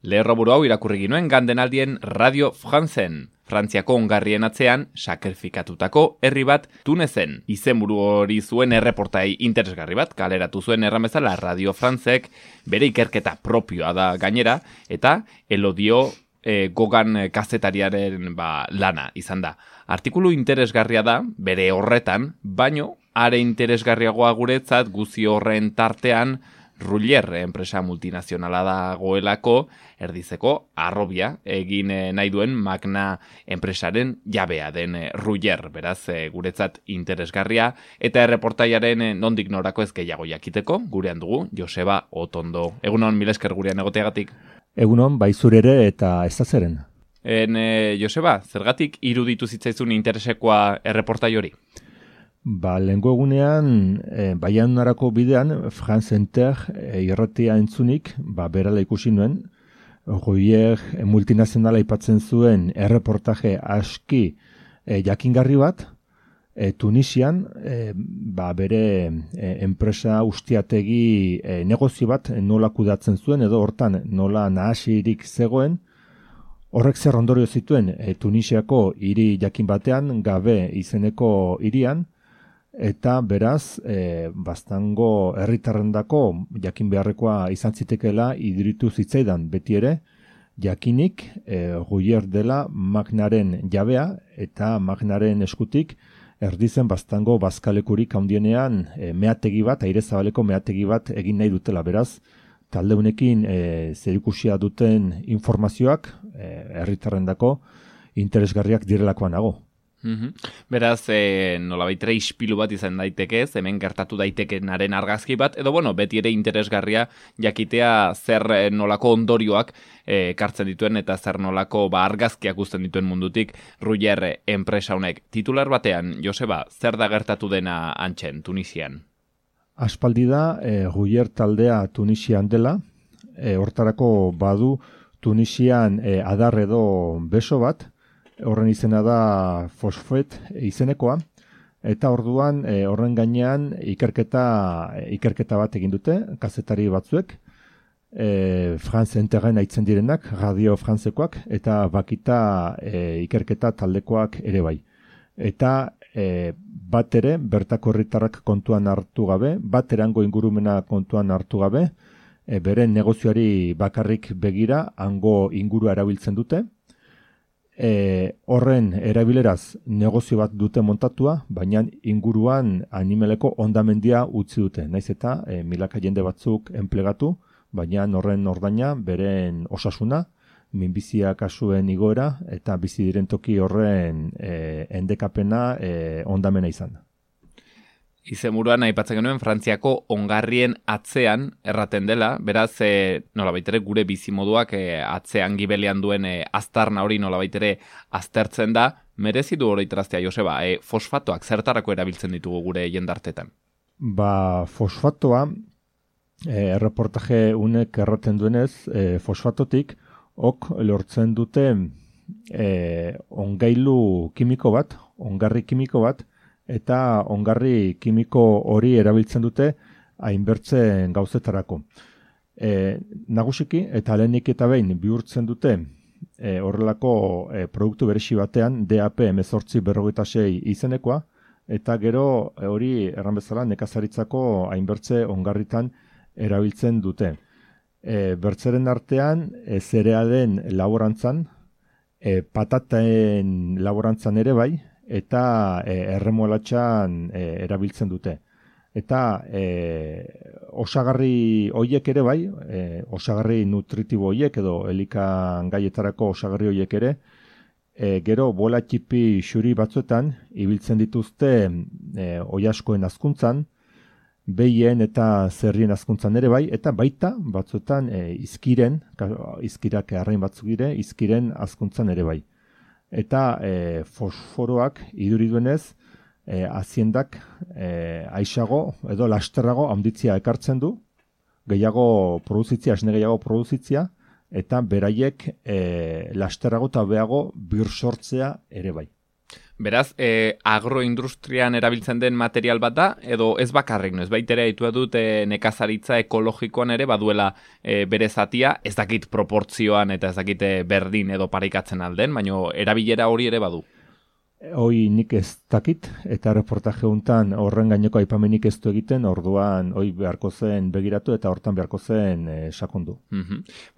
Lerroburu hau irakurri ginuen gandenaldien Radio Francen. Frantziako ongarrien atzean, sakrifikatutako herri bat Tunezen. Izenburu hori zuen erreportai interesgarri bat, kaleratu zuen erramezala Radio Francek, bere ikerketa propioa da gainera, eta Elodio Gogan kazetariaren lana izan da. Artikulu interesgarria da, bere horretan, baino, are interesgarriagoa guretzat guzi horren tartean, Ruller enpresa multinazionala dagoelako, erdizeko arrobia egin nahi duen Magna enpresaren jabea den Ruller, beraz guretzat interesgarria, eta erreportaiaren nondik norako ez gehiago jakiteko, gurean dugu, Joseba Otondo. Egunon, mil esker gurean egoteagatik. Egunon, bai zurere eta ez da zeren. Joseba, zergatik iruditu zitzaizun interesekoa erreportai hori? Lehengo egunean, Baianarako bidean, France Inter irratia entzunik, berala ikusi nuen, Ruller multinazionala aipatzen zuen erreportaje aski jakingarri bat, Tunisian, bere enpresa ustiategi negozio bat nola kudatzen zuen, edo hortan nola nahasirik zegoen, horrek zer ondorio zituen Tunisiako hiri jakin batean, Gabe izeneko hirian, eta beraz, bastango herritarrendako jakin beharrekoa izan zitekeela iduritu zitzaidan beti ere, jakinik Ruller dela Magnaren jabea eta Magnaren eskutik erdizen bastango bazkalekurik handienean meategi bat, aire zabaleko meategi bat egin nahi dutela, beraz, talde honekin zerikusia duten informazioak herritarrendako interesgarriak direlakoan nago. Beraz, nolabait ispilu bat izan daiteke, hemen gertatu daitekenaren argazki bat, edo beti ere interesgarria jakitea zer nolako ondorioak kartzen dituen eta zer nolako argazkiak uzten dituen mundutik Ruller enpresa honek. Titular batean, Joseba, zer da gertatu dena antxen, Tunisian? Aspaldi da, Ruller taldea Tunisian dela, hortarako badu Tunisian adar edo beso bat, horren izena da fosfet izenekoa, eta orduan horren gainean ikerketa bat egin dute, kazetari batzuek, France Interren aitzen direnak, Radio Francekoak, eta bakita ikerketa taldekoak ere bai. Eta bat ere, bertako herritarrak kontuan hartu gabe, bat erango ingurumena kontuan hartu gabe, beren negozioari bakarrik begira, hango ingurua erabiltzen dute, horren erabileraz negozio bat dute montatua, baina inguruan animeleko hondamendia utzi dute. Naiz eta milaka jende batzuk enplegatu, baina horren ordaina beren osasuna, minbizia kasuen igoera eta bizi diren toki horren endekapena hondamena izan. Izenburuan aipatzen genuen Frantziako ongarrien atzean erraten dela, beraz nolabait ere gure bizimoduak atzean gibelean duen aztarna hori nolabait ere aztertzen da, merezi du oroitraztea, Joseba, fosfatoak zertarako erabiltzen ditugu gure jendartetan? Fosfatoa, erreportaje unek erraten duenez, fosfatotik lortzen dute ongailu kimiko bat, ongarri kimiko bat, eta ongarri kimiko hori erabiltzen dute hainbertzen gauzetarako. Nagusiki, eta lehenik eta behin bihurtzen dute horrelako produktu beresi batean DAP 1856 izenekoa, eta gero hori erran bezala nekazaritzako hainbertze ongarritan erabiltzen dute. Bertzeren artean, zerealen laborantzan, pataten laborantzan ere bai, eta erremolatxan erabiltzen dute. Eta osagarri hoiek ere bai, osagarri nutritibo hoiek edo elikan gaietarako osagarri hoiek ere, gero bola txipi xuri batzuetan ibiltzen dituzte oiaskoen hazkuntzan, behien eta zerrien hazkuntzan ere bai, eta baita batzuetan izkirak arrain batzuk dire, izkiren hazkuntzan ere bai. Eta fosforoak iduri duenez, aziendak aisago edo lasterrago handitzia ekartzen du, gehiago produzitzia, esne gehiago produzitzia, eta beraiek lasterrago eta behago birsortzea ere bai. Beraz, agroindustrian erabiltzen den material bat da, edo ez bakarrik, ez baitere ditu dut nekazaritza ekologikoan ere baduela bere zatia, ez dakit proportzioan eta ez dakit berdin edo parikatzen alden, baina erabilera hori ere badu. Hoi nik ez dakit, eta reportaje hontan horren gaineko aipamenik ez du egiten, orduan hoi beharko zen begiratu eta hortan beharko zen sakondu.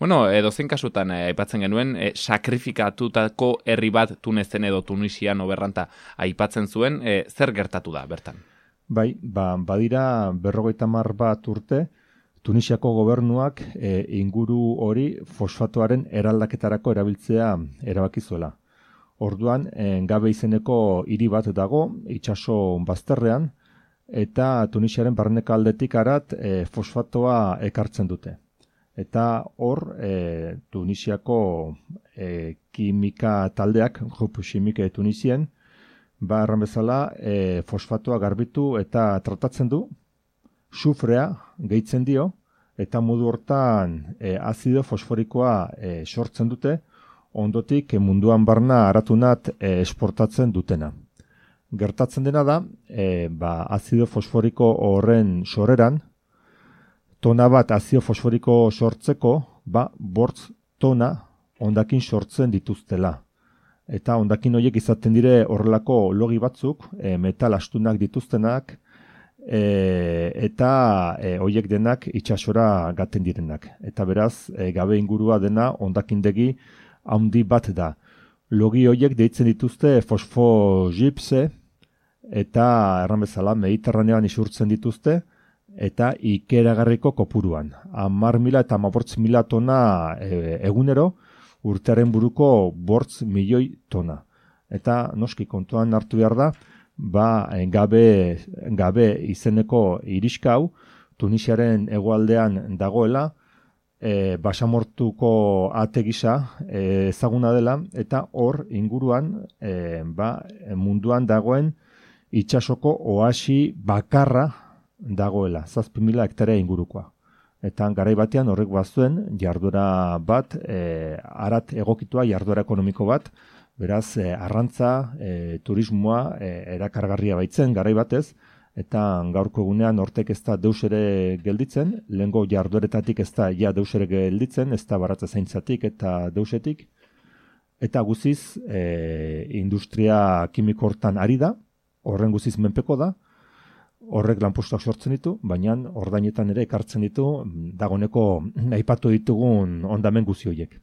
Bueno, edozein kasutan aipatzen genuen, sakrifikatutako herri bat Tunezen edo Tunisian oberranta aipatzen zuen, zer gertatu da bertan? Bai, badira 50 bat urte, Tunisiako gobernuak inguru hori fosfatoaren eraldaketarako erabiltzea erabaki zuela. Orduan, Gabe izeneko hiri bat dago, itsaso bazterrean, eta Tunisiaren barneka aldetik arat fosfatoa ekartzen dute. Eta hor, Tunisiako kimika taldeak, Grupo Chimique Tunisien, erran bezala, fosfatoa garbitu eta tratatzen du, sufrea gehitzen dio, eta modu hortan azido fosforikoa sortzen dute, ondotik munduan barna aratunat esportatzen dutena. Gertatzen dena da, azido fosforiko horren soreran, tona bat azido fosforiko sortzeko, 8 tona hondakin sortzen dituztela. Eta hondakin horiek izaten dire horrelako logi batzuk, metal astunak dituztenak, eta horiek denak itsasora gaten direnak. Eta beraz, Gabe ingurua dena hondakindegi handi bat da. Logi horiek deitzen dituzte fosfogipse, eta erran bezala Mediterranean isurtzen dituzte, eta ikeragarriko kopuruan. 10.000 eta 15.000 tona egunero, urtearen buruko 5 milioi tona. Eta noski kontuan hartu behar da, Gabe izeneko iriska hau, Tunisiaren hegoaldean dagoela, basamortuko ate gisa ezaguna dela, eta hor inguruan munduan dagoen itsasoko oasi bakarra dagoela, 7.000 hektarea ingurukoa. Eta garai batean horrek bazuen jarduera bat, arat egokitua jarduera ekonomiko bat, beraz arrantza, turismoa erakargarria baitzen garai batez, eta gaurko egunean hortek ez da deus ere gelditzen, lehengo jardueretatik ez da deus ere gelditzen, ez da baratza zaintzatik eta deusetik, eta guziz industria kimiko hortan ari da, horren guziz menpeko da, horrek lanpostuak sortzen ditu, baina ordainetan ere ekartzen ditu, dagoneko aipatu ditugun ondamen guzi horiek.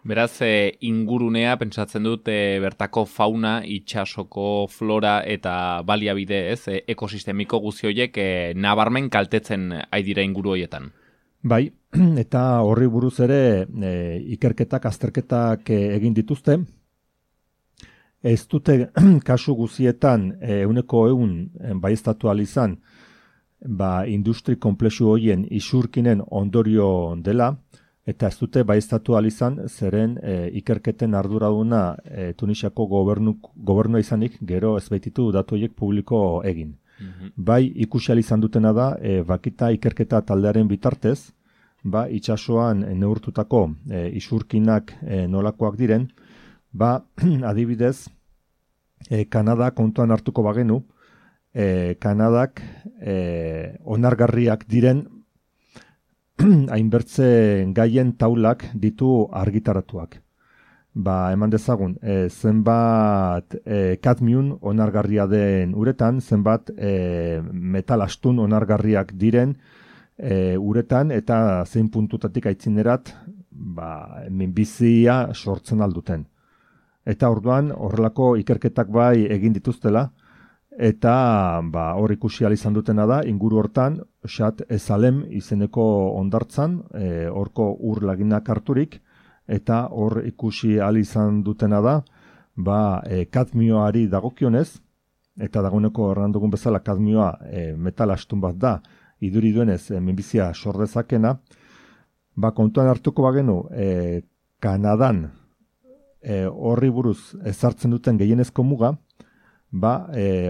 Beraz, ingurunea, pentsatzen dut, bertako fauna, itsasoko flora eta baliabide, ekosistemiko guzi horiek nabarmen kaltetzen aidira inguru horietan. Bai, eta horri buruz ere ikerketak, azterketak egin dituzte. Ez dute kasu guzietan 100% baieztatu ahal izan, industri konplexu horien isurkinen ondorio dela, eta ez dute baieztatu ahal izan, zeren ikerketen arduraduna Tunisiako gobernua izanik, gero ez baititu datu horiek publiko egin. Bai, ikusi ahal izan dutena da, bakita ikerketa taldearen bitartez, itsasoan neurtutako isurkinak nolakoak diren, adibidez, Kanada kontuan hartuko bagenu, Kanadak onargarriak diren hainbertze gaien taulak ditu argitaratuak. Eman dezagun, zenbat kadmium onargarria den uretan, zenbat metal astun onargarriak diren uretan, eta zein puntutatik aitzinerat minbizia sortzen alduten. Eta orduan horrelako ikerketak bai egin dituztela, eta hor ikusi ahal izan dutena da, inguru hortan, Shat Ezalem izeneko ondartzan, horko ur laginak harturik, eta hor ikusi ahal izan dutena da, kadmioari dagokionez, eta dagoeneko erran dugun bezala kadmioa metal astun bat da, iduri duenez minbizia sordezakena, kontuan hartuko bagenu, Kanadan horri buruz ezartzen duten gehienezko muga,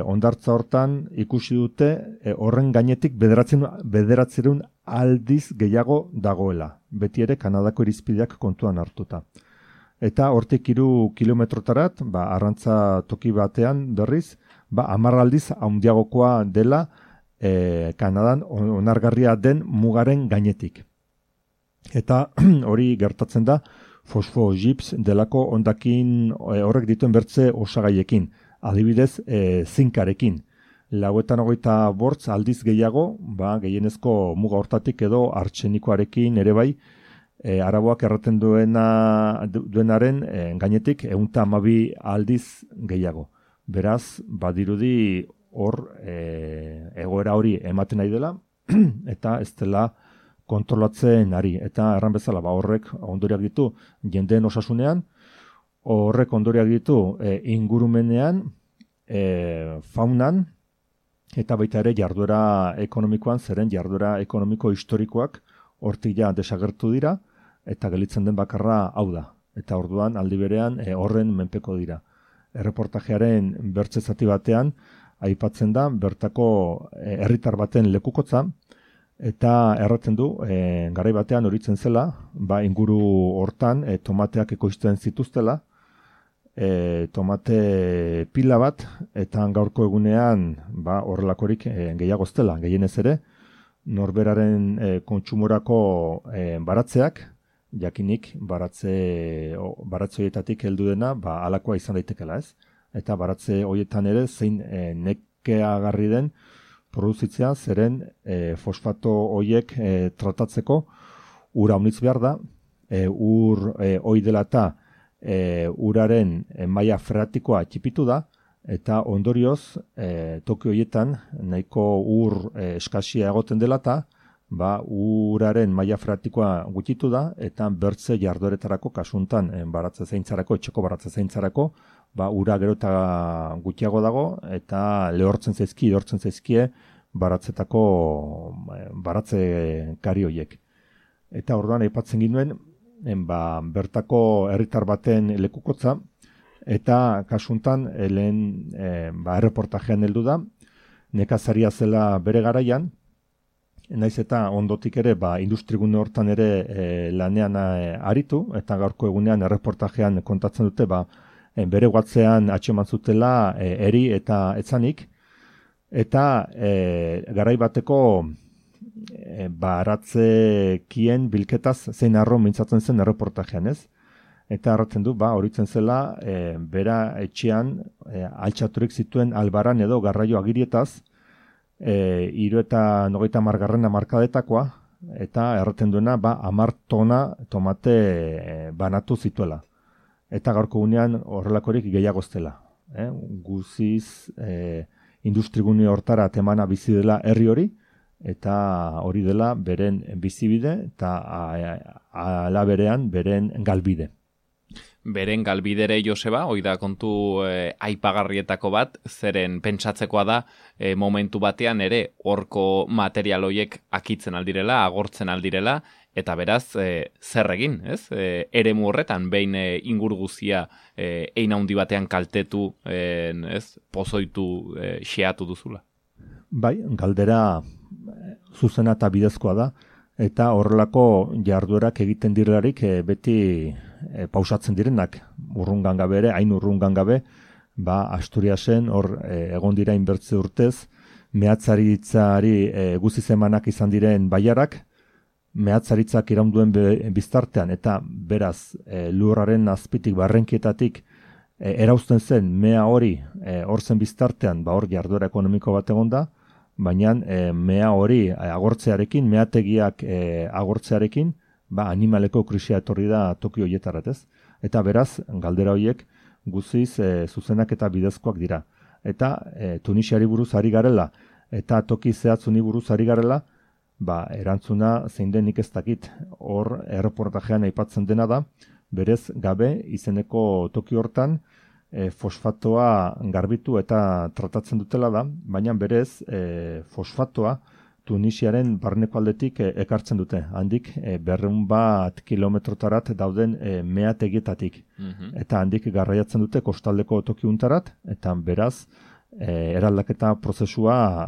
ondartza hortan ikusi dute horren gainetik 900 aldiz gehiago dagoela. Beti ere Kanadako irizpideak kontuan hartuta. eta hortik 3 kilometrotarat, arrantza toki batean berriz, 10 aldiz handiagokoa dela Kanadan onargarria den mugaren gainetik. Eta hori gertatzen da fosfogips delako hondakin horrek dituen bertze osagaiekin, adibidez zinkarekin. 98 aldiz gehiago, gehienezko muga hortatik edo artsenikoarekin ere bai, araboak erraten duenaren gainetik 112 aldiz gehiago. Beraz, badirudi hor egoera hori ematen nahi dela, eta ez dela kontrolatzen ari. Eta erran bezala, horrek ondoriak ditu jendeen osasunean, horrek ondoriak ditu ingurumenean, faunan, eta baita ere jarduera ekonomikoan, zeren jarduera ekonomiko historikoak hortik ja desagertu dira, eta gelitzen den bakarra hau da. Eta orduan aldi berean horren menpeko dira. Erreportajearen bertze zati batean, aipatzen da, bertako herritar baten lekukotza, eta erraten du, garai batean horitzen zela, inguru hortan tomateak ekoizten zituztela, tomate pila bat, eta gaurko egunean horrelakorik gehiago ez dela, gehienez ere, norberaren kontsumorako baratzeak, jakinik baratze horietatik heldu dena, halakoa izan daitekela ez. Eta baratze horietan ere zein nekeagarri den produzitzea, zeren fosfato horiek tratatzeko ura honitz behar da, ur hori dela eta uraren maila freatikoa txipitu da, eta ondorioz toki horietan nahiko ur eskasia egoten dela eta uraren maila freatikoa gutxitu da, eta bertze jardueretarako kasuntan baratze zaintzarako, etxeko baratze zaintzarako, ura gero eta gutxiago dago, eta lehortzen zaizkie baratzetako baratze kari horiek. Eta orduan aipatzen ginuen, bertako herritar baten lekukotza, eta kasuntan lehen erreportajean heldu da, nekazaria zela bere garaian, naiz eta ondotik ere industrigune hortan ere lanean aritu, eta gaurko egunean erreportajean kontatzen dute bere guatzean atxeman zutela eri eta etzanik, eta garai bateko baratzekien bilketaz zein arro mintzatzen zen erreportajean ez. Eta erraten du, horitzen zela, bera etxean altxaturik zituen albaran edo garraio agirietaz, 90 markadetakoa, eta erraten duena, 10 tona tomate banatu zituela. Eta gaurko gunean horrelakorik gehiago zela. Guziz industrigune hortara temana bizi dela herri hori, eta hori dela beren bizibide, eta ala berean beren galbide. Beren galbidere Joseba, hoi da kontu aipagarrietako bat, zeren pentsatzekoa da momentu batean ere horko material hoiek akitzen aldirela, agortzen aldirela, eta beraz zer egin, ez? Eremu horretan, behin inguru guzia ein handi batean kaltetu, ez? Pozoitu, xeatu duzula. Bai, galdera zuzena eta bidezkoa da, eta horrelako jarduerak egiten direlarik beti pausatzen direnak, urrungan gabe ere, hain urrungan gabe, Asturiasen hor egon dira inbertze urtez, mehatzaritzari guziz emanak izan diren baiarak, mehatzaritzak iraunduen biztartean, eta beraz lurraren azpitik barrenkietatik erauzten zen mea hori hor zen biztartean, hor jarduera ekonomiko bat egon da, baina mea hori agortzearekin, meategiak agortzearekin, animaleko krisia etorri da toki horietarat ez. Eta beraz, galdera horiek guziz zuzenak eta bidezkoak dira. Eta Tunisiari buruz ari garela, eta toki zehatzuni buruz ari garela, erantzuna zein denik ez dakit. Hor erreportajean aipatzen dena da, berez gabe izeneko toki hortan fosfatoa garbitu eta tratatzen dutela da, baina berez fosfatoa Tunisiaren barneko aldetik ekartzen dute. Handik 200 kilometrotarat dauden meategietatik. Eta handik garraiatzen dute kostaldeko tokiuntarat, eta beraz eraldaketa prozesua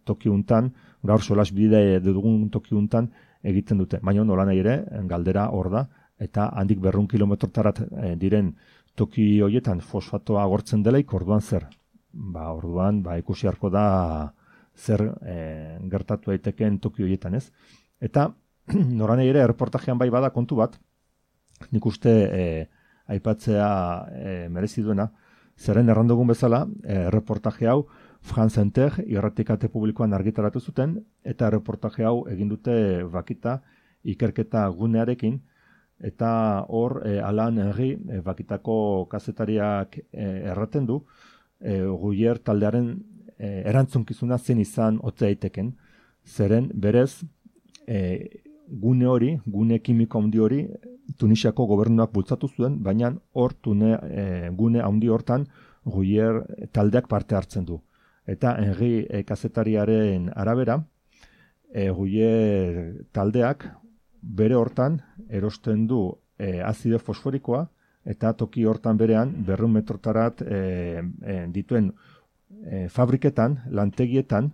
tokiuntan, gaur solas bide dugun tokiuntan egiten dute. Baina nola nahi ere, galdera hor da, eta handik 200 kilometrotarat diren toki horietan fosfatoa agortzen delaik, orduan zer? Orduan ikusi harko da zer gertatu daiteken toki horietan, ez? Eta noran ere erreportajean bai bada kontu bat, nik uste aipatzea merezi duena, zeren errandugun bezala, erreportaje hau France Inter irratikate publikoan argitaratu zuten, eta erreportaje hau egin dute bakita ikerketa gunearekin, eta hor Alain Henry bakitako kazetariak erraten du, Guyer taldearen erantzunkizuna zen izan otze daiteken, zeren berez gune hori, gune kimiko handi hori, Tunisiako gobernuak bultzatu zuen, baina hor gune handi hortan Guyer taldeak parte hartzen du. Eta Henry kazetariaren arabera, Guyer taldeak bere hortan erosten du azido fosforikoa, eta toki hortan berean 200 metrotarat dituen fabriketan, lantegietan,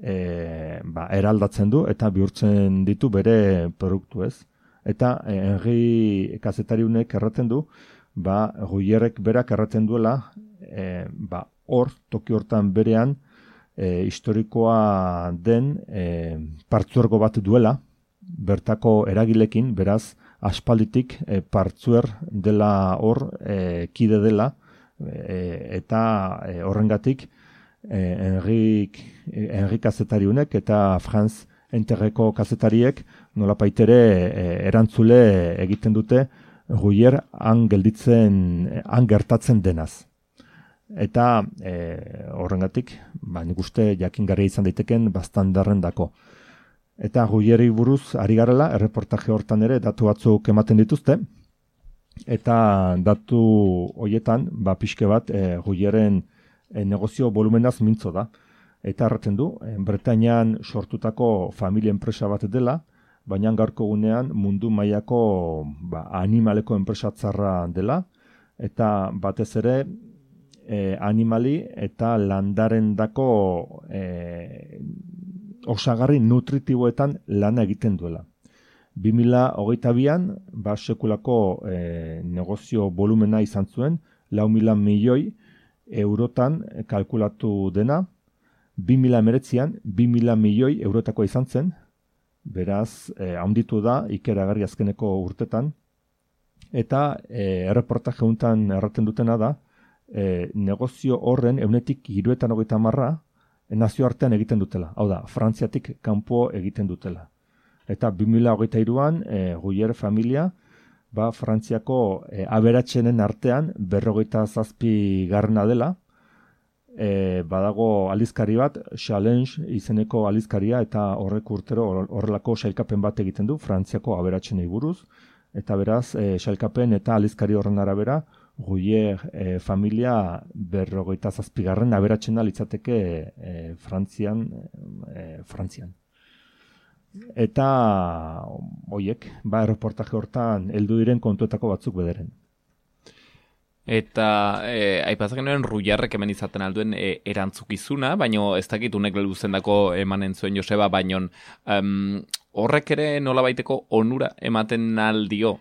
eraldatzen du eta bihurtzen ditu bere produktu, ez. Eta Henry kazetariunek erraten du, Guyerrek berak erraten duela, hor, toki hortan berean, historikoa den partzuergo bat duela, bertako eragilekin, beraz, aspalditik partzuer dela hor, kide dela, eta horrengatik Henry kazetariunek eta France Interreko kazetariek nolapaitere erantzule egiten dute Guyer han gertatzen denaz. Eta horrengatik, nik uste jakingarria izan daiteken bastandarrendako. Eta Guyerri buruz ari garela, erreportaje hortan ere datu batzuk ematen dituzte, eta datu horietan, pixke bat, Guyerren negozio volumenaz mintzo da. Eta erraten du, Bretainian sortutako familia enpresa bat dela, baina gaurko gunean mundu mailako animaleko enpresatzarra dela, eta batez ere animali eta landarendako osagarri nutritiboetan lana egiten duela. 2022an, sekulako negozio volumena izan zuen, 4.000 milioi eurotan kalkulatu dena, 2019an 2.000 milioi eurotako izan zen, beraz, handitu da ikeragarri azkeneko urtetan, eta erreportaje honetan erraten dutena da, negozio horren 3%, nazioartean egiten dutela. Hau da, Frantziatik kanpo egiten dutela. Eta 2023an Guyer familia, Frantziako aberatsenen artean 57. dela, badago aldizkari bat, Challenge izeneko aldizkaria, eta horrek urtero horrelako sailkapen bat egiten du, Frantziako aberatsenei buruz, eta beraz, sailkapen eta aldizkari horren arabera, Guyer familia 57. aberatsena litzateke Frantzian. Eta hoiek, erreportaje hortan heldu diren kontuetako batzuk bederen. Eta aipatzen genuen Ruiarrek hemen izaten alduen erantzukizuna, baino ez dakit unek luzendako emanen zuen Joseba, baino horrek ere nolabaiteko onura ematen aldio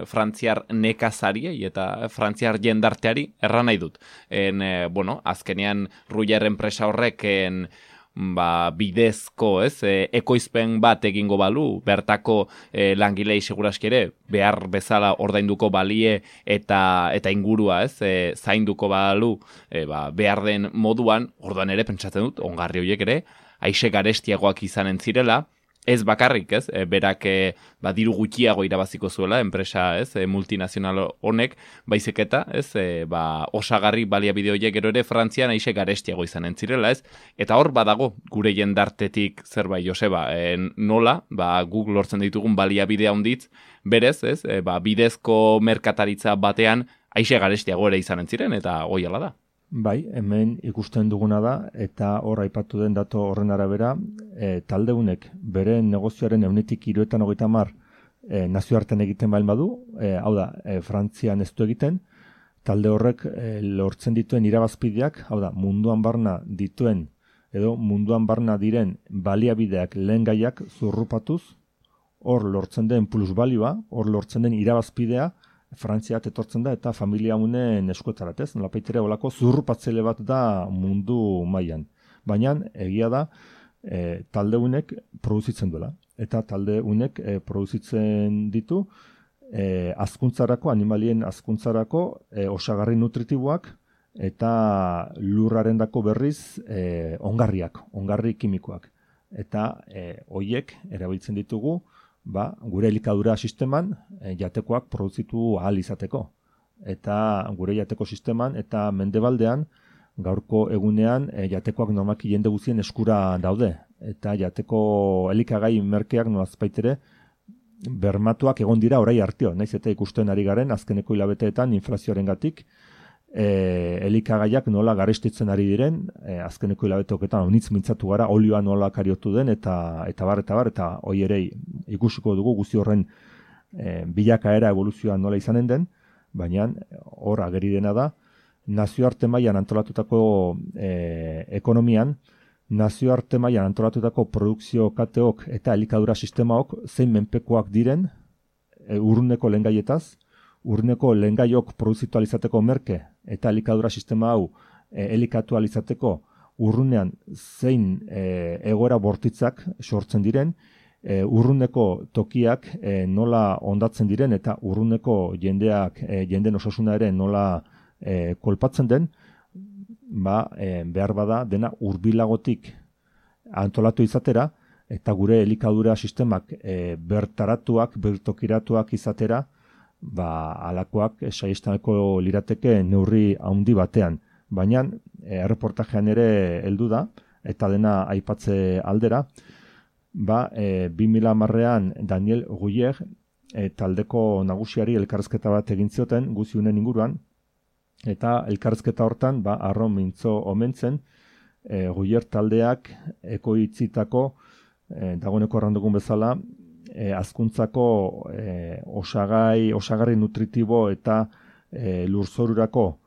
frantziar nekazariei eta frantziar jendarteari erran nahi dut. Azkenean Ruiar enpresa horrek bidezko, ekoizpen bat egingo balu, bertako langilei seguraski ere behar bezala ordainduko balie eta ingurua, zainduko balu behar den moduan, orduan ere pentsatzen dut, ongarri horiek ere, aixe garestiagoak izanen zirela, ez bakarrik, berak diru gutxiago irabaziko zuela, enpresa, multinazional honek, baizik eta, osagarri baliabide horiek gero ere Frantzian aixe garestiago izanen zirela, eta hor badago gure jendartetik zerbait, Joseba, nola, guk lortzen ditugun baliabide handitz, berez, bidezko merkataritza batean aixe garestiago ere izanen ziren, eta hoiala da. Bai, hemen ikusten duguna da, eta hor aipatu den dato horren arabera, taldeunek bere negozioaren 3% nazioartean egiten baldin badu, hau da, Frantzian ez du egiten, talde horrek lortzen dituen irabazpideak, hau da, munduan barna dituen, edo munduan barna diren baliabideak lehen gaiak zurrupatuz, hor lortzen den plusbalioa, hor lortzen den irabazpidea, Frantziat etortzen da eta familia unen eskuetarat, ez? Nolapaitere olako zurrupatzele bat da mundu mailan. Baina egia da talde unek produzitzen duela. Eta talde unek produzitzen ditu azkuntzarako, animalien azkuntzarako osagarri nutritiboak eta lurrarendako berriz ongarri kimikoak. Eta hoiek erabiltzen ditugu gure elikadura sisteman jatekoak produzitu ahal izateko. Eta gure jateko sisteman eta mendebaldean gaurko egunean jatekoak normalki jende guztien eskura daude. Eta jateko elikagai merkeak nolazpaitere bermatuak egon dira orai arteo. Naiz eta ikusten ari garen azkeneko hilabeteetan inflazioarengatik elikagaiak nola garestitzen ari diren, azkeneko hilabeteoketan honitz mintzatu gara, olioa nola kariotu den, eta bar, eta hoi ere ikusiko dugu guzti horren bilakaera evoluzioa nola izanen den, baina hor ageri dena da, nazioarte mailan antolatutako ekonomian, nazioarte mailan antolatutako produkzio kateok eta elikadura sistemaok zein menpekoak diren urruneko lehengaietaz, urruneko lehengaiok produzitu alizateko merke eta elikadura sistema hau elikatu alizateko urrunean zein egoera bortitzak sortzen diren, urruneko tokiak nola ondatzen diren eta urruneko jenden osasuna ere nola kolpatzen den, behar bada dena hurbilagotik antolatu izatera eta gure elikadura sistemak bertokiratuak izatera, alakoak saiestaneko lirateke neurri handi batean. Baina erreportajean ere heldu da, eta dena aipatze aldera, 2010an Daniel Guyer taldeko nagusiari elkarrizketa bat egin zioten guziunen inguruan, eta elkarrizketa hortan harro mintzo omentzen Guyer taldeak ekoitzitako dagoeneko errandugun bezala azkuntzako osagarri nutritibo eta lurzorurako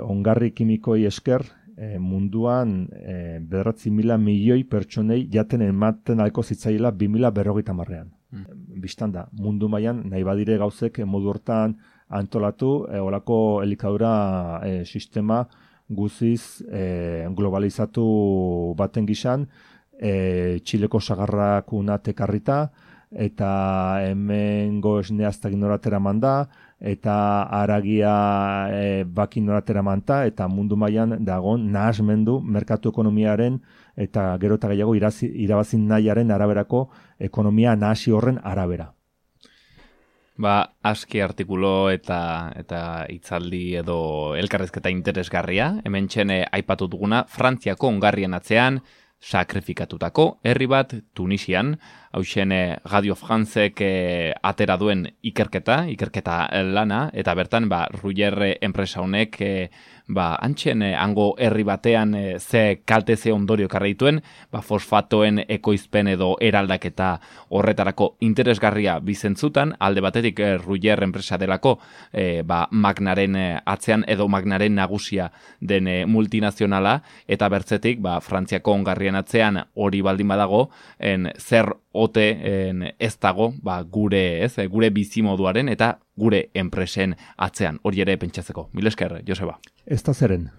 ongarri kimikoi esker munduan 9.000 milioi pertsonei jaten ematen alko zitzaiela 2050an. Bistan da, mundu mailan nahi badire gauzek modu hortan antolatu olako elikadura sistema guziz globalizatu baten gisan, Txileko sagarrak unat ekarrita, eta hemengo esneaztak noratera manda, eta haragia bakin noratera manta, eta mundu mailan dagon nahasmendu merkatu ekonomiaren eta gero eta gehiago irabazin nahiaren araberako ekonomia nahasi horren arabera. Aski artikulo eta hitzaldi edo elkarrizketa interesgarria, hemen txene aipatu duguna, Frantziako ongarrien atzean, sakrifikatutako herri bat Tunisian, hausen Radio Francek atera duen ikerketa lana, eta bertan Ruyer enpresa honek antxen hango herri batean ze kalte ze ondorio karraituen, fosfatoen ekoizpen edo eraldaketa horretarako interesgarria bizentzutan, alde batetik Ruyer enpresa delako Magnaren atzean edo Magnaren nagusia den multinazionala, eta bertzetik Frantziako ongarrien atzean hori baldin badago, zer ote ez dago gure bizimoduaren eta gure enpresen atzean, hori ere pentsatzeko. Mil esker, Joseba. Ez da zeren.